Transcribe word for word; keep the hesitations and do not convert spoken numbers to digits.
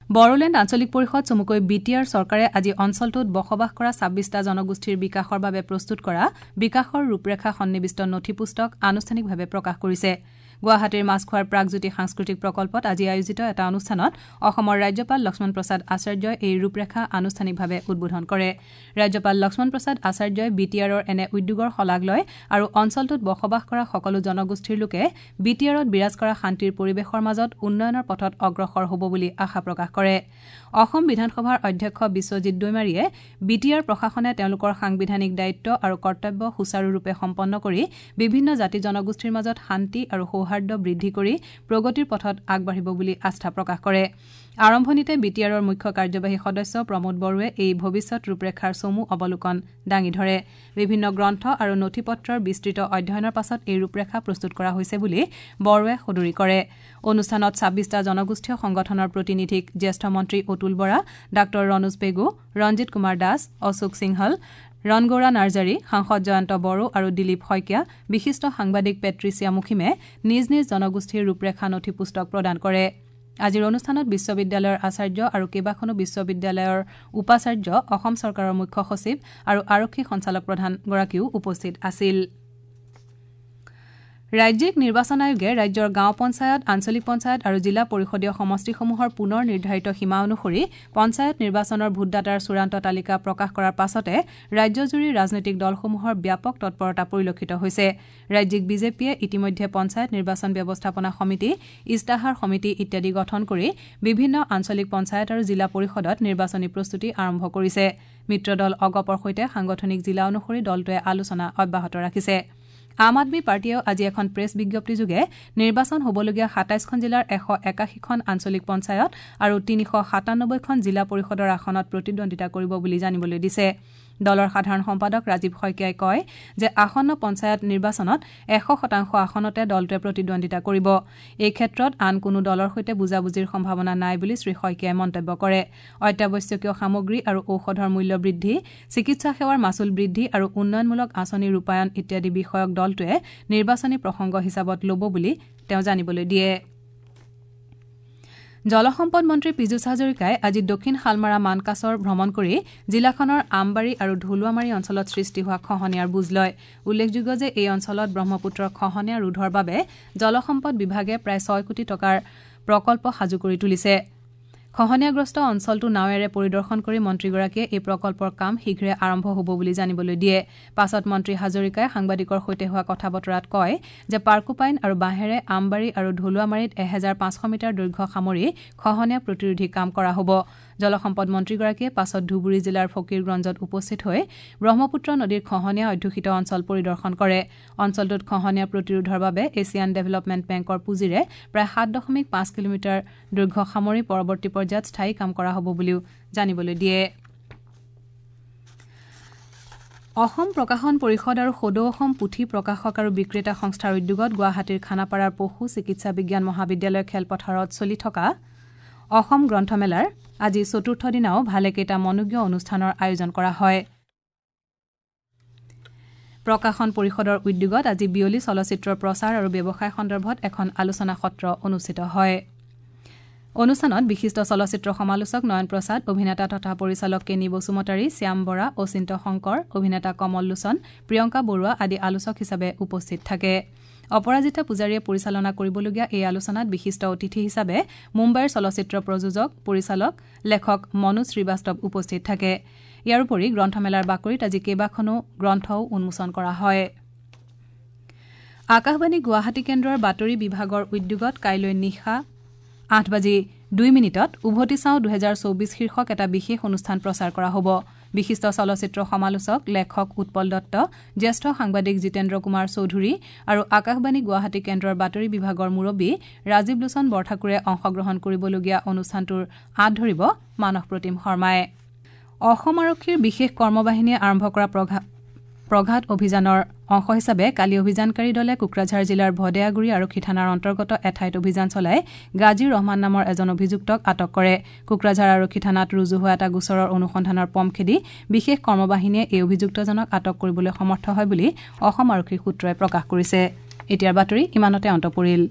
বড়োলেণ্ড আঞ্চলিক পৰিষদ চমুকৈ বি টি আৰ চৰকাৰে আজি অঞ্চলটোত বসবাস কৰা ছাব্বিছটা জনগোষ্ঠীৰ বিকাশৰ বাবে প্ৰস্তুত কৰা বিকাশৰ ৰূপৰেখা সন্নিৱিষ্ট নথি পুস্তক আনুষ্ঠানিকভাৱে প্ৰকাশ কৰিছে। গুৱাহাটীৰ মাছখোৱাৰ প্ৰাগজ্যোতি সাংস্কৃতিক প্ৰকল্পত আজি আয়োজিত এটা অনুষ্ঠানত অসমৰ ৰাজ্যপাল লক্ষ্মণ প্ৰসাদ আচাৰ্যই এই ৰূপৰেখা আনুষ্ঠানিকভাৱে উদ্বোধন কৰে। ৰাজ্যপাল লক্ষ্মণ প্ৰসাদ আচাৰ্যই বি টি আৰৰ এনে উদ্যোগৰ শলাগ লয় আৰু অঞ্চলটোত বসবাস কৰা সকলো জনগোষ্ঠীৰ লোকে বি টি আৰত বিৰাজ কৰা শান্তিৰ পৰিৱেশৰ মাজত উন্নয়নৰ পথত অগ্ৰসৰ হ'ব বুলি আশা প্ৰকাশ কৰে। অসম বিধানসভাৰ অধ্যক্ষ বিশ্বজিৎ দৈমাৰীয়ে বি টি আৰ প্ৰশাসনে তেওঁলোকৰ সাংবিধানিক দায়িত্ব আৰু কৰ্তব্য সুচাৰুৰূপে সম্পন্ন কৰি বিভিন্ন জাতি জনগোষ্ঠীৰ মাজত শান্তি আৰু সৌহাৰ্দ্য বৃদ্ধি কৰি প্ৰগতিৰ পথত আগবাঢ়িব বুলি আস্থা প্ৰকাশ কৰে। আৰম্ভণিতে বি টি আৰৰ মুখ্য কাৰ্যবাহী সদস্য প্ৰমোদ বড়োৱে এই ভৱিষ্যত ৰূপৰেখাৰ চমু অৱলোকন দাঙি ধৰে। বিভিন্ন গ্ৰন্থ আৰু নথি পত্ৰৰ বিস্তৃত অধ্যয়নৰ পাছত এই ৰূপৰেখা প্ৰস্তুত কৰা হৈছে বুলি বড়োৱে সদৰি কৰে। অনুষ্ঠানত ছাব্বিছটা জনগোষ্ঠীয় সংগঠনৰ প্ৰতিনিধিক জ্যেষ্ঠ মন্ত্ৰী অতুল বৰা, ডাঃ ৰণোজ পেগু, ৰঞ্জিত কুমাৰ দাস, অশোক সিংহল, ৰণগৌৰা নাৰ্জাৰী, সাংসদ জয়ন্ত বড়ো আৰু দিলীপ শইকীয়া, বিশিষ্ট সাংবাদিক পেট্ৰিচিয়া মুখিমে নিজ নিজ জনগোষ্ঠীৰ ৰূপৰেখা নথি পুস্তক প্ৰদান কৰে। আজিৰ অনুষ্ঠানত বিশ্ববিদ্যালয়ৰ আচাৰ্য আৰু কেইবাখনো বিশ্ববিদ্যালয়ৰ উপাচাৰ্য, অসম চৰকাৰৰ মুখ্য সচিব আৰু আৰক্ষী সঞ্চালক প্ৰধানগৰাকীও উপস্থিত আছিল। ৰাজ্যিক নিৰ্বাচন আয়োগে ৰাজ্যৰ গাঁও পঞ্চায়ত, আঞ্চলিক পঞ্চায়ত আৰু জিলা পৰিষদীয় সমষ্টিসমূহৰ পুনৰ নিৰ্ধাৰিত সীমা অনুসৰি পঞ্চায়ত নিৰ্বাচনৰ ভোটদাতাৰ চূড়ান্ত তালিকা প্ৰকাশ কৰাৰ পাছতে ৰাজ্যজুৰি ৰাজনৈতিক দলসমূহৰ ব্যাপক তৎপৰতা পৰিলক্ষিত হৈছে। ৰাজ্যিক বিজেপিয়ে ইতিমধ্যে পঞ্চায়ত নিৰ্বাচন ব্যৱস্থাপনা সমিতি, ইস্তাহাৰ সমিতি ইত্যাদি গঠন কৰি বিভিন্ন আঞ্চলিক পঞ্চায়ত আৰু জিলা পৰিষদত নিৰ্বাচনী প্ৰস্তুতি আৰম্ভ কৰিছে। মিত্ৰদল অগপৰ সৈতে সাংগঠনিক জিলা অনুসৰি দলটোৱে আলোচনা অব্যাহত ৰাখিছে। আম আদমী পাৰ্টীয়েও আজি এখন প্ৰেছ বিজ্ঞপ্তিযোগে নিৰ্বাচন হ'বলগীয়া সাতাইছখন জিলাৰ এশ একাশীখন আঞ্চলিক পঞ্চায়ত আৰু তিনিশ সাতানব্বৈখন জিলা পৰিষদৰ আসনত প্ৰতিদ্বন্দ্বিতা কৰিব বুলি জানিবলৈ দিছে। দলৰ সাধাৰণ সম্পাদক ৰাজীৱ শইকীয়াই কয় যে আসন্ন পঞ্চায়ত নিৰ্বাচনত এশ শতাংশ আসনতে দলটোৱে প্ৰতিদ্বন্দ্বিতা কৰিব। এই ক্ষেত্ৰত আন কোনো দলৰ সৈতে বুজাবুজিৰ সম্ভাৱনা নাই বুলি শ্ৰীশইকীয়াই মন্তব্য কৰে। অত্যাৱশ্যকীয় সামগ্ৰী আৰু ঔষধৰ মূল্য বৃদ্ধি, চিকিৎসা সেৱাৰ মাচুল বৃদ্ধি আৰু উন্নয়নমূলক আঁচনি ৰূপায়ণ ইত্যাদি বিষয়ক দলটোৱে নিৰ্বাচনী প্ৰসংগ হিচাপত ল'ব বুলি তেওঁ জানিবলৈ দিয়ে। জলসম্পদ মন্ত্ৰী পীযুষ হাজৰিকাই আজি দক্ষিণ শালমাৰা মানকাছৰ ভ্ৰমণ কৰি জিলাখনৰ আমবাৰী আৰু ঢলুৱামাৰী অঞ্চলত সৃষ্টি হোৱা খহনীয়াৰ বুজ লয়। উল্লেখযোগ্য যে এই অঞ্চলত ব্ৰহ্মপুত্ৰৰ খহনীয়া ৰোধৰ বাবে জলসম্পদ বিভাগে প্ৰায় ছয় কোটি টকাৰ প্ৰকল্প সাজু কৰি তুলিছে। খহনীয়াগ্ৰস্ত অঞ্চলটো নাৱেৰে পৰিদৰ্শন কৰি মন্ত্ৰীগৰাকীয়ে এই প্ৰকল্পৰ কাম শীঘ্ৰে আৰম্ভ হ'ব বুলি জানিবলৈ দিয়ে। পাছত মন্ত্ৰী হাজৰিকাই সাংবাদিকৰ সৈতে হোৱা কথা বতৰাত কয় যে পাৰ্কুপাইন আৰু বাঁহেৰে আমবাৰী আৰু ঢলুৱামাৰীত এহেজাৰ পাঁচশ মিটাৰ দৈৰ্ঘ্য সামৰি খহনীয়া প্ৰতিৰোধী কাম কৰা হ'ব। জলসম্পদ মন্ত্ৰীগৰাকীয়ে পাছত ধুবুৰী জিলাৰ ফকীৰগঞ্জত উপস্থিত হৈ ব্ৰহ্মপুত্ৰ নদীৰ খহনীয়া অধ্যুষিত অঞ্চল পৰিদৰ্শন কৰে। অঞ্চলটোত খহনীয়া প্ৰতিৰোধৰ বাবে এছিয়ান ডেভেলপমেণ্ট বেংকৰ পুঁজিৰে প্ৰায় সাত দশমিক পাঁচ কিলোমিটাৰ দৈৰ্ঘ্য সামৰি পৰৱৰ্তী পৰ্যায়ত স্থায়ী কাম কৰা হ'ব বুলিও জানিবলৈ দিয়ে। অসম প্ৰকাশন পৰিষদ আৰু সদৌ অসম পুথি প্ৰকাশক আৰু বিক্ৰেতা সংস্থাৰ উদ্যোগত গুৱাহাটীৰ খানাপাৰাৰ পশু চিকিৎসা বিজ্ঞান মহাবিদ্যালয় খেলপথাৰত চলি থকা অসম গ্ৰন্থমেলাৰ আজি চতুৰ্থ দিনাও ভালেকেইটা মনোজ্ঞ অনুষ্ঠানৰ আয়োজন কৰা হয়। প্ৰকাশন পৰিষদৰ উদ্যোগত আজি বিয়লি চলচ্চিত্ৰৰ প্ৰচাৰ আৰু ব্যৱসায় সন্দৰ্ভত এখন আলোচনা সত্ৰ অনুষ্ঠিত হয়। অনুষ্ঠানত বিশিষ্ট চলচ্চিত্ৰ সমালোচক নয়ন প্ৰসাদ, অভিনেতা তথা পৰিচালক কেনি বসুমতাৰী, শ্যাম বৰা, অচিন্ত শংকৰ, অভিনেতা কমল লোচন, প্ৰিয়ংকা বৰুৱা আদি আলোচক হিচাপে উপস্থিত থাকে। অপৰাজিতা পূজাৰীয়ে পৰিচালনা কৰিবলগীয়া এই আলোচনাত বিশিষ্ট অতিথি হিচাপে মুম্বাইৰ চলচ্চিত্ৰ প্ৰযোজক, পৰিচালক, লেখক মনোজ শ্ৰীবাস্তৱ উপস্থিত থাকে। ইয়াৰ উপৰি গ্ৰন্থমেলাৰ বাকৰিত আজি কেইবাখনো গ্ৰন্থও উন্মোচন কৰা হয়। আকাশবাণী গুৱাহাটী কেন্দ্ৰৰ বাতৰি বিভাগৰ উদ্যোগত কাইলৈ নিশা আঠ বাজি দুই মিনিটত উভতি চাওঁ দুহেজাৰ চৌবিছ শীৰ্ষক এটা বিশেষ অনুষ্ঠান প্ৰচাৰ কৰা হ'ব। বিশিষ্ট চলচ্চিত্ৰ সমালোচক লেখক উৎপল দত্ত, জ্যেষ্ঠ সাংবাদিক জিতেন্দ্ৰ কুমাৰ চৌধুৰী আৰু আকাশবাণী গুৱাহাটী কেন্দ্ৰৰ বাতৰি বিভাগৰ মুৰব্বী ৰাজীৱ লোচন বৰঠাকুৰে অংশগ্ৰহণ কৰিবলগীয়া অনুষ্ঠানটোৰ আঁত ধৰিব মানস প্ৰতিম শৰ্মাই। অসম আৰক্ষীৰ বিশেষ কৰ্মবাহিনীয়ে আৰম্ভ কৰা প্ৰঘাত অভিযানৰ অংশ হিচাপে কালি অভিযানকাৰী দলে কোকৰাঝাৰ জিলাৰ ভদেয়াগুৰি আৰক্ষী থানাৰ অন্তৰ্গত এঠাইত অভিযান চলাই গাজী ৰহমান নামৰ এজন অভিযুক্তক আটক কৰে। কোকৰাঝাৰ আৰক্ষী থানাত ৰুজু হোৱা এটা গোচৰৰ অনুসন্ধানৰ পম খেদি বিশেষ কৰ্মবাহিনীয়ে এই অভিযুক্তজনক আটক কৰিবলৈ সমৰ্থ হয় বুলি অসম আৰক্ষীৰ সূত্ৰই প্ৰকাশ কৰিছে। এতিয়াৰ বাতৰি ইমানতে অন্ত পৰিল।